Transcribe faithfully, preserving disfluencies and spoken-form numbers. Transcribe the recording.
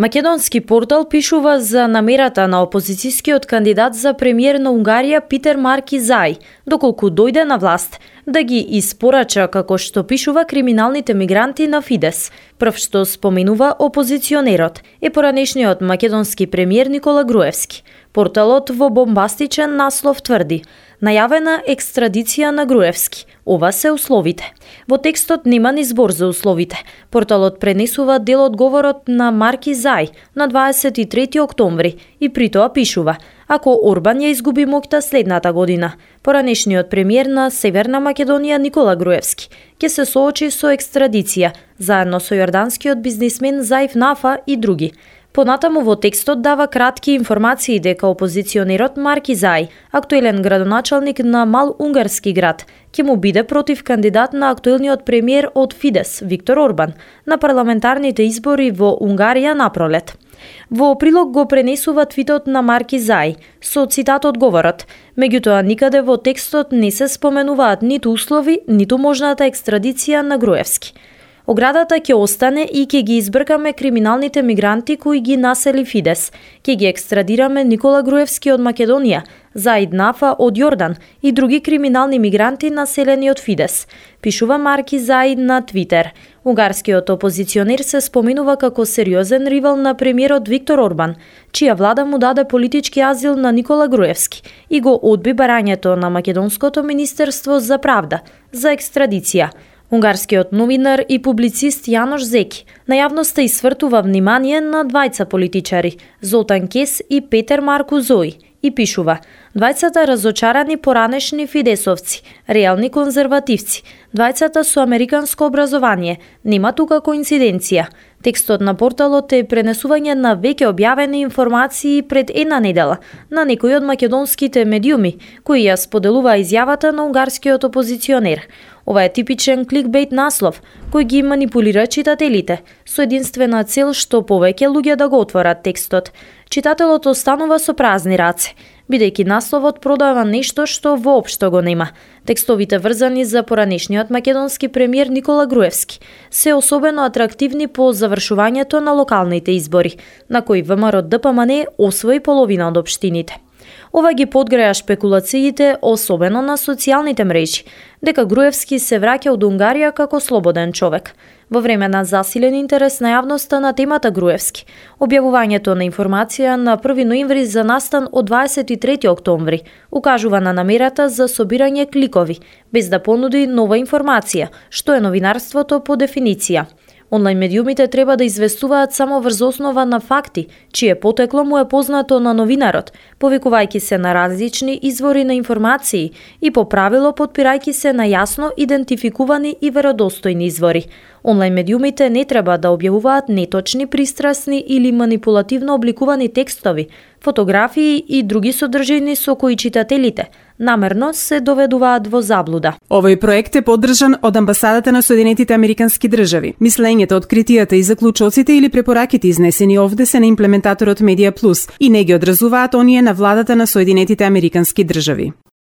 Македонски портал пишува за намерата на опозицијскиот кандидат за премиер на Унгарија Питер Маркизај, доколку дојде на власт, да ги испорача, како што пишува, криминалните мигранти на Фидес. Прв што споменува опозиционерот е поранешниот македонски премиер Никола Груевски. Порталот во бомбастичен наслов тврди: најавена екстрадиција на Груевски. Ова се условите. Во текстот нема ни збор за условите. Порталот пренесува дел од говорот на Маркизај на дваесет и трети октомври и при тоа пишува: ако Орбан ја изгуби моќта следната година, поранешниот премиер на Северна Македонија Никола Груевски ќе се соочи со екстрадиција заедно со јорданскиот бизнисмен Заиф Нафа и други. Понатаму во текстот дава кратки информации дека опозиционерот Маркизај, актуелен градоначалник на мал унгарски град, ќе му биде против кандидат на актуелниот премиер од Фидес Виктор Орбан на парламентарните избори во Унгарија напролет. Во прилог го пренесува твитот на Маркизај со цитат од говорот. Меѓутоа никаде во текстот не се споменуваат ниту услови, ниту можната екстрадиција на Груевски. Оградата ќе остане и ќе ги избркаме криминалните мигранти кои ги насели Фидес. Ќе ги екстрадираме Никола Груевски од Македонија, Заид Нафа од Јордан и други криминални мигранти населени од Фидес, пишува Маркизај на Твитер. Унгарскиот опозиционер се споменува како сериозен ривал на премиерот Виктор Орбан, чија влада му даде политички азил на Никола Груевски и го одби барањето на Македонското министерство за правда за екстрадиција. Унгарскиот новинар и публицист Јанош Зеки на јавноста извртува внимание на двајца политичари, Золтан Кес и Петер Марку Зој, и пишува: двајцата разочарани поранешни фидесовци, реални конзервативци, двајцата со американско образование, нема тука коинциденција. Текстот на порталот е пренесување на веќе објавени информации пред една недела на некои од македонските медиуми, кои ја споделува изјавата на унгарскиот опозиционер. Ова е типичен кликбейт наслов, кој ги манипулира читателите, со единствена цел што повеќе луѓе да го отворат текстот. Читателот останува со празни раце, бидејќи насловот продава нешто што воопшто го нема. Текстовите врзани за поранешниот македонски премиер Никола Груевски се особено атрактивни по завршувањето на локалните избори, на кои ВМРО Д П М Н освои половина од општините. Ова ги подгреа шпекулациите, особено на социјалните мрежи, дека Груевски се враќа од Унгарија како слободен човек. Во време на засилен интерес на јавноста на темата Груевски, објавувањето на информација на први ноември за настан од дваесет и трети октомври укажува на намерата за собирање кликови, без да понуди нова информација, што е новинарството по дефиниција. Онлайн медиумите треба да известуваат само врз основа на факти, чие потекло му е познато на новинарот, повикувајќи се на различни извори на информации и по правило потпирајќи се на јасно идентификувани и веродостојни извори. Онлайн медиумите не треба да објавуваат неточни, пристрасни или манипулативно обликувани текстови, фотографии и други содржини со кои читателите намерно се доведуваат во заблуда. Овој проект е поддржан од Амбасадата на Соединетите Американски држави. Мислењето, откритијата и заклучоците или препораките изнесени овде се на имплементаторот Медија Плюс и не ги одразуваат оние на владата на Соединетите Американски држави.